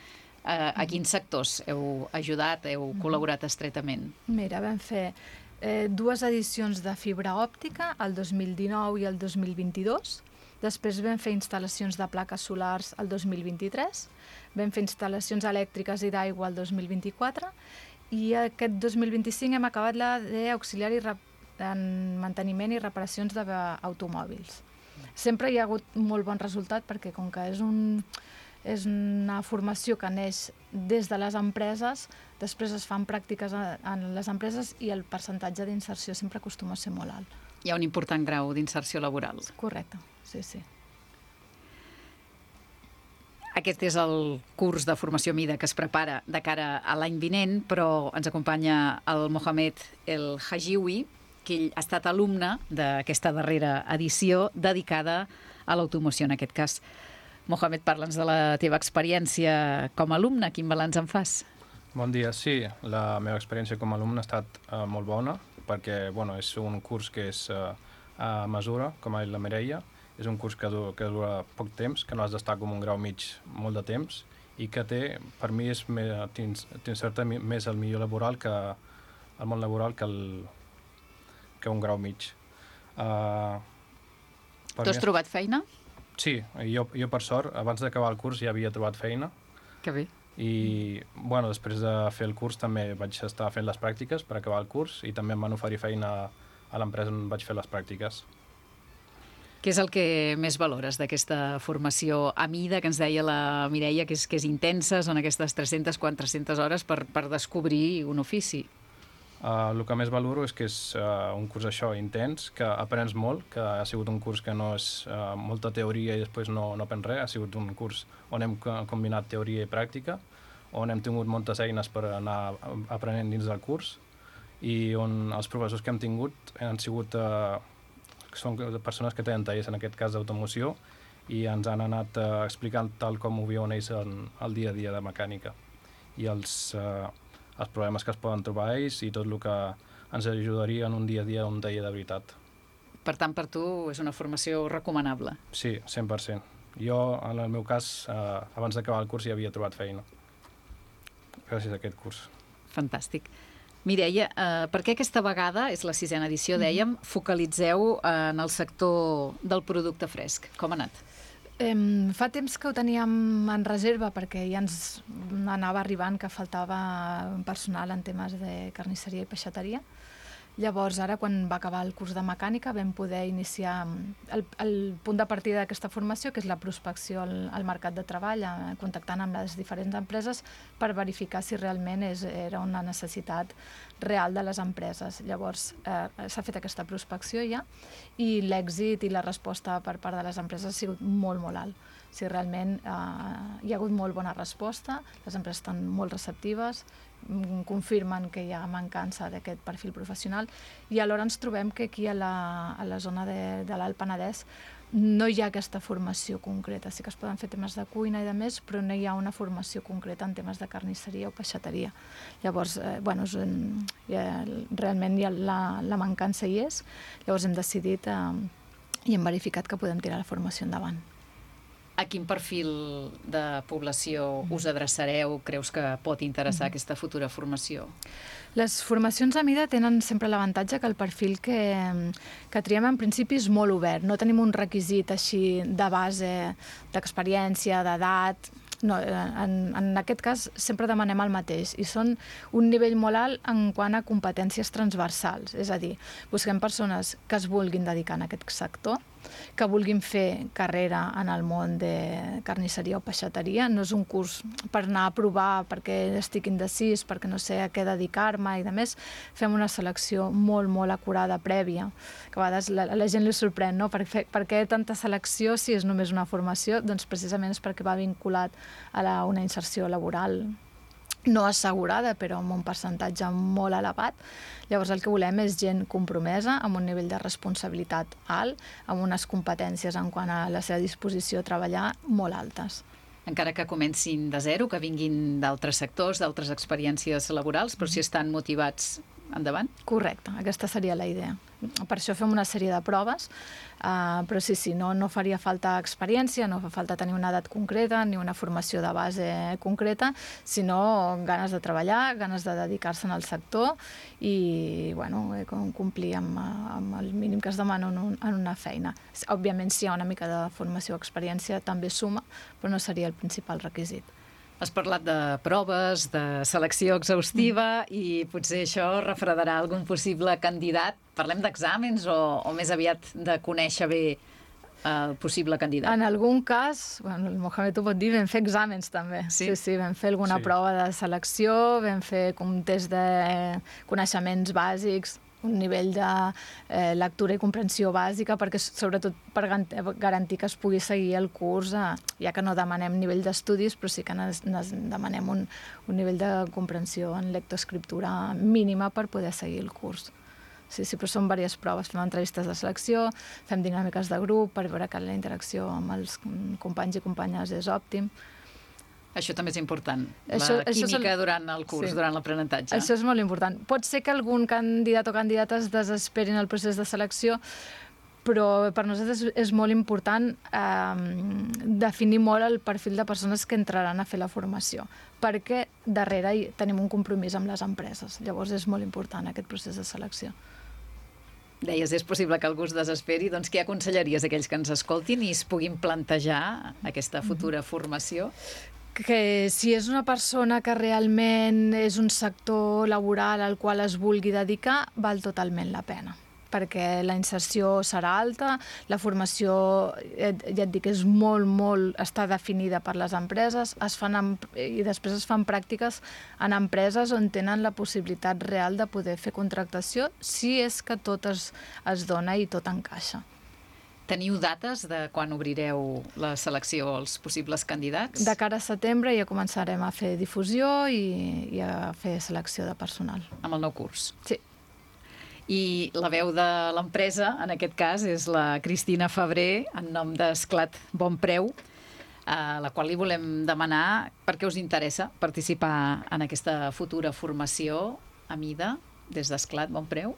A quins sectors heu ajudat, heu col·laborat estretament? Mira, vam fer 2 edicions de fibra òptica, el 2019 i el 2022. Després vam fer instal·lacions de plaques solars el 2023, vam fer instal·lacions elèctriques i d'aigua el 2024 i aquest 2025 hem acabat la d'auxiliar en manteniment i reparacions d'automòbils. Sempre hi ha hagut molt bon resultat perquè com que és una formació que neix des de les empreses, després es fan pràctiques en les empreses i el percentatge d'inserció sempre acostuma a ser molt alt. Hi ha un important grau d'inserció laboral. Correcte, sí. Aquest és el curs de formació mida que es prepara de cara a l'any vinent, però ens acompanya el Mohamed El Hajiwi, que ell ha estat alumne d'aquesta darrera edició dedicada a l'automoció en aquest cas. Mohamed, parla'ns de la teva experiència com a alumne. Quin balanç en fas? Bon dia. Sí, la meva experiència com a alumne ha estat molt bona, perquè és un curs que és a mesura, com ha dit la Mireia. És un curs que dura poc temps, que no has d'estar com un grau mig molt de temps i que per mi t'inserta més el millor laboral el món laboral que un grau mig. Tu has trobat feina? Sí, jo per sort, abans d'acabar el curs ja havia trobat feina. Que bé. I després de fer el curs també vaig estar fent les pràctiques per acabar el curs i també em van oferir feina a l'empresa on vaig fer les pràctiques. Què és el que més valores d'aquesta formació a mida, que ens deia la Mireia, que és intensa, són aquestes 300-400 hores per descobrir un ofici? El que més valoro és que és un curs intens, que aprens molt, que ha sigut un curs que no és molta teoria i després no aprens res, ha sigut un curs on hem combinat teoria i pràctica, on hem tingut moltes eines per anar aprenent dins del curs i on els professors que hem tingut han sigut són persones que tenen tallers, en aquest cas d'automoció, i ens han anat explicant tal com ho viuen ells el dia a dia de mecànica i els problemes que es poden trobar ells i tot el que ens ajudaria en un dia a dia un taller de veritat. Per tant, per tu és una formació recomanable? Sí, 100%. Jo, en el meu cas, abans d'acabar el curs ja havia trobat feina, gràcies a aquest curs. Fantàstic. Mireia, per què aquesta vegada, és la 6ª edició, dèiem, focalitzeu en el sector del producte fresc? Com ha anat? Fa temps que ho teníem en reserva perquè ja ens anava arribant que faltava personal en temes de carnisseria i peixateria. Llavors, ara, quan va acabar el curs de mecànica, vam poder iniciar el punt de partida d'aquesta formació, que és la prospecció al mercat de treball, contactant amb les diferents empreses per verificar si realment era una necessitat real de les empreses. Llavors, s'ha fet aquesta prospecció ja i l'èxit i la resposta per part de les empreses ha sigut molt, molt alt. O sigui, realment hi ha hagut molt bona resposta, les empreses estan molt receptives, confirmen que hi ha mancança d'aquest perfil professional i alhora ens trobem que aquí a la zona de l'Alt Penedès no hi ha aquesta formació concreta. Sí que es poden fer temes de cuina i de més, però no hi ha una formació concreta en temes de carnisseria o peixateria. Llavors, realment la mancança hi és, llavors hem decidit i hem verificat que podem tirar la formació endavant. A quin perfil de població us adreçareu? Creus que pot interessar aquesta futura formació? Les formacions a mida tenen sempre l'avantatge que el perfil que triem en principi és molt obert. No tenim un requisit així de base, d'experiència, d'edat. No, en aquest cas sempre demanem el mateix i són un nivell molt alt en quant a competències transversals. És a dir, busquem persones que es vulguin dedicar a aquest sector, que vulguin fer carrera en el món de carnisseria o peixateria. No és un curs per anar a provar perquè estic indecis, perquè no sé a què dedicar-me i, a més, fem una selecció molt, molt acurada prèvia, que a vegades la gent li sorprèn, no? Per què tanta selecció si és només una formació? Doncs precisament és perquè va vinculat a una inserció laboral no assegurada, però amb un percentatge molt elevat. Llavors el que volem és gent compromesa, amb un nivell de responsabilitat alt, amb unes competències en quant a la seva disposició a treballar molt altes. Encara que comencin de zero, que vinguin d'altres sectors, d'altres experiències laborals, però si estan motivats, endavant? Correcte, aquesta seria la idea. Per això fem una sèrie de proves, però sí, no faria falta experiència, no fa falta tenir una edat concreta ni una formació de base concreta, sinó ganes de treballar, ganes de dedicar-se al sector i complir amb el mínim que es demana en una feina. Òbviament, si hi ha una mica de formació o experiència, també suma, però no seria el principal requisit. Has parlat de proves, de selecció exhaustiva i potser això refredarà algun possible candidat. Parlem d'exàmens o més aviat de conèixer bé el possible candidat? En algun cas, el Mohamed ho pot dir, vam fer exàmens també. Sí, vam fer alguna prova de selecció, vam fer un test de coneixements bàsics, un nivell de lectura i comprensió bàsica, sobretot per garantir que es pugui seguir el curs, ja que no demanem nivell d'estudis, però sí que demanem un nivell de comprensió en lectoescriptura mínima per poder seguir el curs. Sí, però són diverses proves. Fem entrevistes de selecció, fem dinàmiques de grup per veure que la interacció amb els companys i companyes és òptim. Això també és important, la química durant el curs, durant l'aprenentatge. Això és molt important. Pot ser que algun candidat o candidata es desesperin el procés de selecció, però per nosaltres és molt important definir molt el perfil de persones que entraran a fer la formació, perquè darrere tenim un compromís amb les empreses. Llavors és molt important aquest procés de selecció. Deies, és possible que algú es desesperi, doncs què aconsellaries a aquells que ens escoltin i es puguin plantejar aquesta futura formació? Que si és una persona que realment és un sector laboral al qual es vulgui dedicar, val totalment la pena, perquè la inserció serà alta, la formació, ja et dic, és està definida per les empreses, i després es fan pràctiques en empreses on tenen la possibilitat real de poder fer contractació, si és que tot es dona i tot encaixa. Teniu dates de quan obrireu la selecció als possibles candidats? De cara a setembre ja començarem a fer difusió i a fer selecció de personal. Amb el nou curs? Sí. I la veu de l'empresa, en aquest cas, és la Cristina Febrer, en nom d'Esclat Bon Preu, a la qual li volem demanar per què us interessa participar en aquesta futura formació a mida des d'Esclat Bon Preu.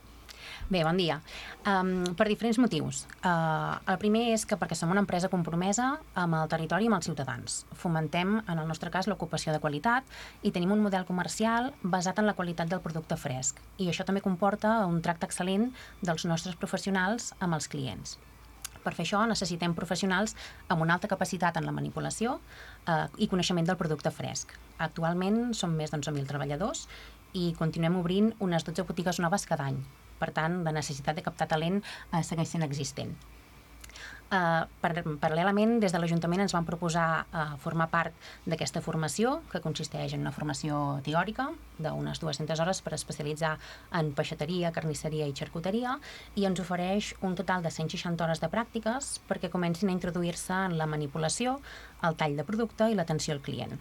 Bé, bon dia. Per diferents motius. El primer és que perquè som una empresa compromesa amb el territori i amb els ciutadans. Fomentem, en el nostre cas, l'ocupació de qualitat i tenim un model comercial basat en la qualitat del producte fresc. I això també comporta un tracte excel·lent dels nostres professionals amb els clients. Per fer això necessitem professionals amb una alta capacitat en la manipulació i coneixement del producte fresc. Actualment som més d'11.000 treballadors i continuem obrint unes 12 botigues noves cada any. Per tant, la necessitat de captar talent segueix sent existent. Paral·lelament, des de l'Ajuntament ens van proposar formar part d'aquesta formació, que consisteix en una formació teòrica d'unes 200 hores per especialitzar en peixateria, carnisseria i xarcuteria, i ens ofereix un total de 160 hores de pràctiques perquè comencin a introduir-se en la manipulació, el tall de producte i l'atenció al client.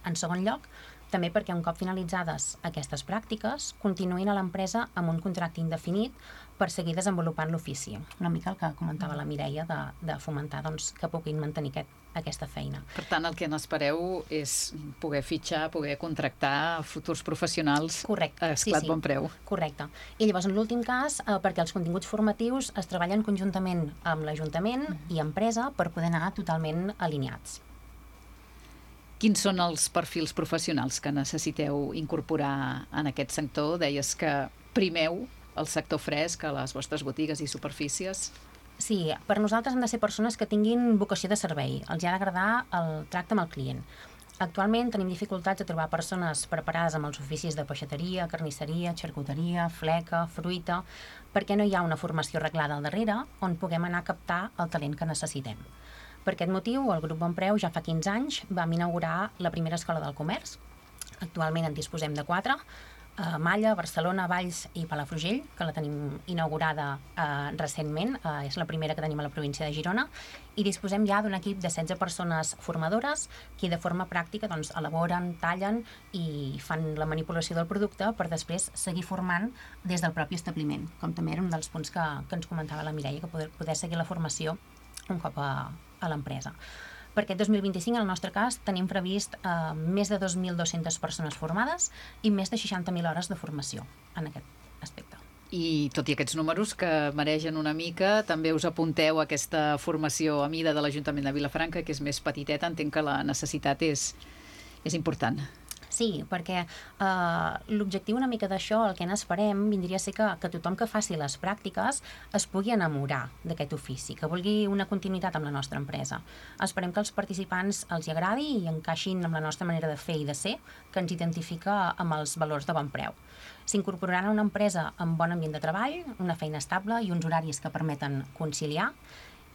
En segon lloc, també perquè un cop finalitzades aquestes pràctiques continuïn a l'empresa amb un contracte indefinit per seguir desenvolupant l'ofici. Una mica el que comentava la Mireia de fomentar que puguin mantenir aquesta feina. Per tant, el que n'espereu és poder fitxar, poder contractar futurs professionals a esclat bon preu. Correcte. I llavors, en l'últim cas, perquè els continguts formatius es treballen conjuntament amb l'Ajuntament i empresa per poder anar totalment alineats. Quins són els perfils professionals que necessiteu incorporar en aquest sector? Deies que primeu el sector fresc a les vostres botigues i superfícies. Sí, per nosaltres han de ser persones que tinguin vocació de servei. Els ha d'agradar el tracte amb el client. Actualment tenim dificultats de trobar persones preparades amb els oficis de peixateria, carnisseria, xarcuteria, fleca, fruita, perquè no hi ha una formació reglada al darrere on puguem anar a captar el talent que necessitem. Per aquest motiu, el Grup Bonpreu ja fa 15 anys vam inaugurar la primera escola del comerç. Actualment en disposem de 4, a Malla, Barcelona, Valls i Palafrugell, que la tenim inaugurada recentment, és la primera que tenim a la província de Girona, i disposem ja d'un equip de 16 persones formadores que de forma pràctica elaboren, tallen i fan la manipulació del producte per després seguir formant des del propi establiment, com també era un dels punts que ens comentava la Mireia, que poder seguir la formació un cop a l'empresa. Per aquest 2025, en el nostre cas, tenim previst més de 2.200 persones formades i més de 60.000 hores de formació en aquest aspecte. I tot i aquests números que maregen una mica, també us apunteu a aquesta formació a mida de l'Ajuntament de Vilafranca, que és més petiteta, entenc que la necessitat és important. Sí, perquè l'objectiu una mica d'això, el que n'esperem, vindria a ser que tothom que faci les pràctiques es pugui enamorar d'aquest ofici, que vulgui una continuïtat amb la nostra empresa. Esperem que als participants els hi agradi i encaixin amb la nostra manera de fer i de ser, que ens identifica amb els valors de bon preu. S'incorporaran a una empresa amb bon ambient de treball, una feina estable i uns horaris que permeten conciliar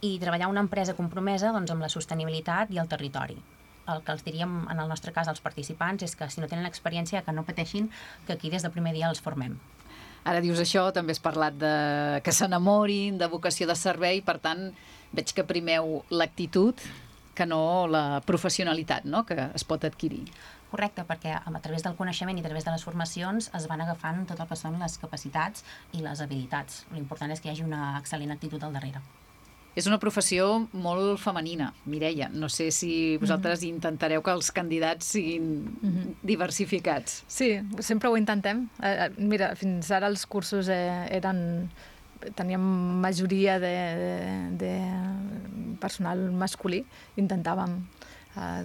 i treballar una empresa compromesa amb la sostenibilitat i el territori. El que els diríem, en el nostre cas, als participants, és que si no tenen experiència, que no pateixin, que aquí des del primer dia els formem. Ara dius això, també has parlat de que s'enamorin, de vocació de servei, per tant, veig que primeu l'actitud que no la professionalitat, no?, que es pot adquirir. Correcte, perquè a través del coneixement i a través de les formacions es van agafant tot el que són les capacitats i les habilitats. L'important és que hi hagi una excel·lent actitud al darrere. És una professió molt femenina, Mireia. No sé si vosaltres intentareu que els candidats siguin diversificats. Sí, sempre ho intentem. Mira, fins ara els cursos teníem majoria de personal masculí. Intentàvem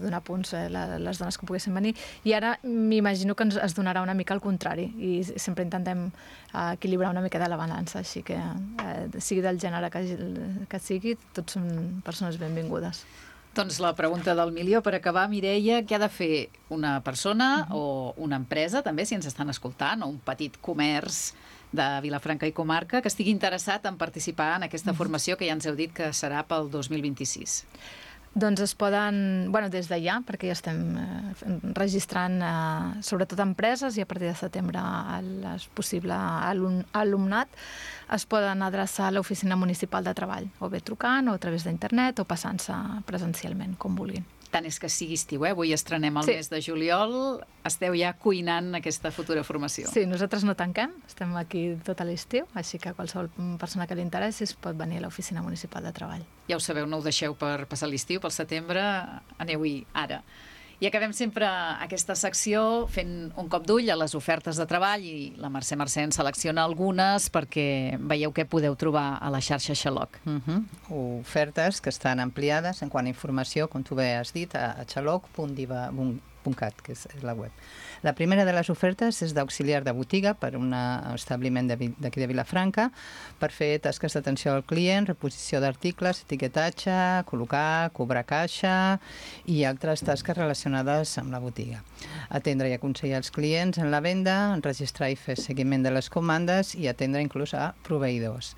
donar punts a les dones que poguessin venir, i ara m'imagino que es donarà una mica al contrari, i sempre intentem equilibrar una mica de la balança, així que sigui del gènere que sigui, tots són persones benvingudes. Doncs la pregunta del milió per acabar, Mireia, què ha de fer una persona o una empresa, també, si ens estan escoltant, o un petit comerç de Vilafranca i comarca, que estigui interessat en participar en aquesta formació que ja ens heu dit que serà pel 2026? Doncs es poden, des de ja, perquè ja estem registrant sobretot empreses, i a partir de setembre el possible alumnat es poden adreçar a l'Oficina Municipal de Treball, o bé trucant, o a través d'internet, o passant-se presencialment, com vulguin. Tant és que sigui estiu, avui estrenem el mes de juliol, esteu ja cuinant aquesta futura formació. Sí, nosaltres no tanquem, estem aquí tot a l'estiu, així que qualsevol persona que li interessi es pot venir a l'Oficina Municipal de Treball. Ja ho sabeu, no ho deixeu per passar l'estiu, pel setembre, aneu-hi ara. I acabem sempre aquesta secció fent un cop d'ull a les ofertes de treball, i la Mercè en selecciona algunes perquè veieu què podeu trobar a la xarxa Xaloc. Ofertes que estan ampliades en quant a informació, com tu bé has dit, a xaloc.diva.cat, que és la web. La primera de les ofertes és d'auxiliar de botiga per un establiment d'aquí de Vilafranca per fer tasques d'atenció al client, reposició d'articles, etiquetatge, col·locar, cobrar caixa i altres tasques relacionades amb la botiga. Atendre i aconsellar els clients en la venda, enregistrar i fer seguiment de les comandes i atendre inclús a proveïdors.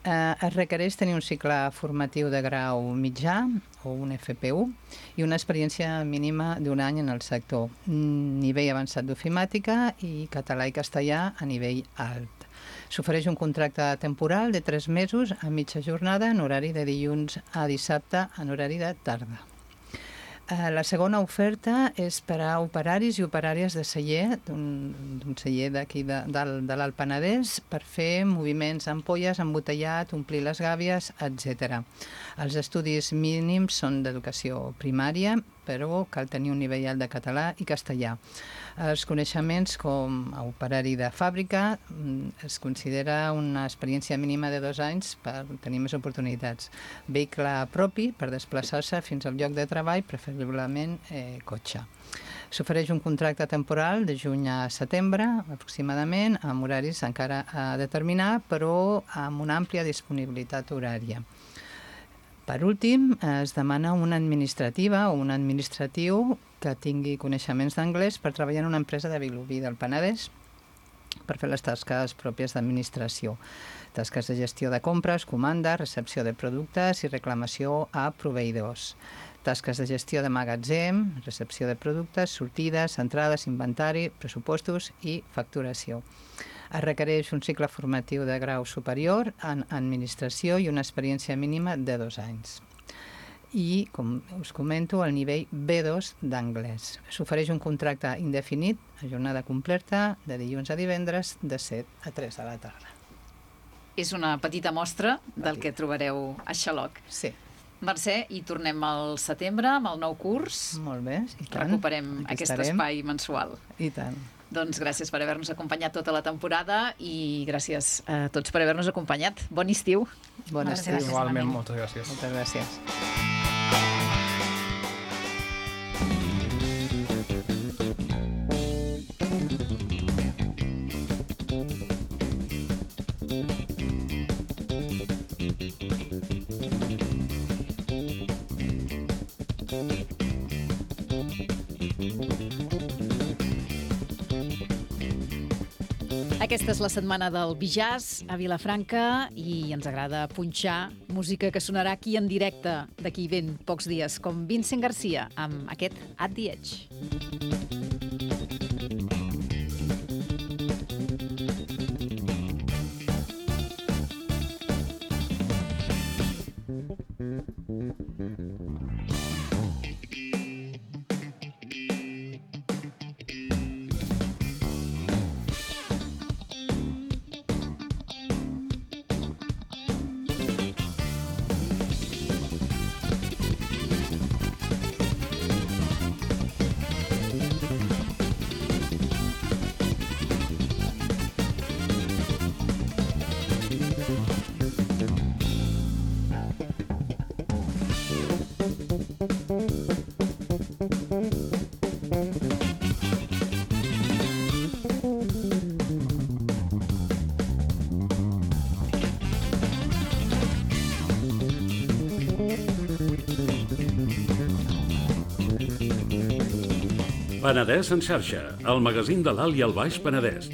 Es requereix tenir un cicle formatiu de grau mitjà o un FP1 i una experiència mínima d'un any en el sector, nivell avançat d'ofimàtica i català i castellà a nivell alt. S'ofereix un contracte temporal de 3 mesos a mitja jornada en horari de dilluns a dissabte en horari de tarda. La segona oferta és per a operaris i operàries de celler, d'un celler d'aquí de l'Alt Penedès, per fer moviments ampolles, embotellat, omplir les gàbies, etc. Els estudis mínims són d'educació primària, però cal tenir un nivell alt de català i castellà. Els coneixements com a operari de fàbrica es considera una experiència mínima de 2 anys per tenir més oportunitats. Vehicle propi per desplaçar-se fins al lloc de treball, preferiblement cotxe. S'ofereix un contracte temporal de juny a setembre, aproximadament, amb horaris encara a determinar, però amb una àmplia disponibilitat horària. Per últim, es demana una administrativa o un administratiu que tingui coneixements d'anglès per treballar en una empresa de Vilobí del Penedès per fer les tasques pròpies d'administració. Tasques de gestió de compres, comanda, recepció de productes i reclamació a proveïdors. Tasques de gestió de magatzem, recepció de productes, sortides, entrades, inventari, pressupostos i facturació. Es requereix un cicle formatiu de grau superior en administració i una experiència mínima de 2 anys. I, com us comento, el nivell B2 d'anglès. S'ofereix un contracte indefinit a jornada completa de dilluns a divendres de 7 a 3 de la tarda. És una petita mostra del que trobareu a Xaloc. Sí. Mercè, i tornem al setembre amb el nou curs. Molt bé, i tant. Recuperem aquest espai mensual. I tant. Doncs gràcies per haver-nos acompanyat tota la temporada i gràcies a tots per haver-nos acompanyat. Bon estiu. Bon estiu. Igualment, moltes gràcies. Moltes gràcies. Aquesta és la setmana del Bijaz a Vilafranca i ens agrada punxar música que sonarà aquí en directe d'aquí ben pocs dies, com Vincent Garcia amb aquest At the Edge. Penedès en xarxa, el magazín de l'Alt i el Baix Penedès.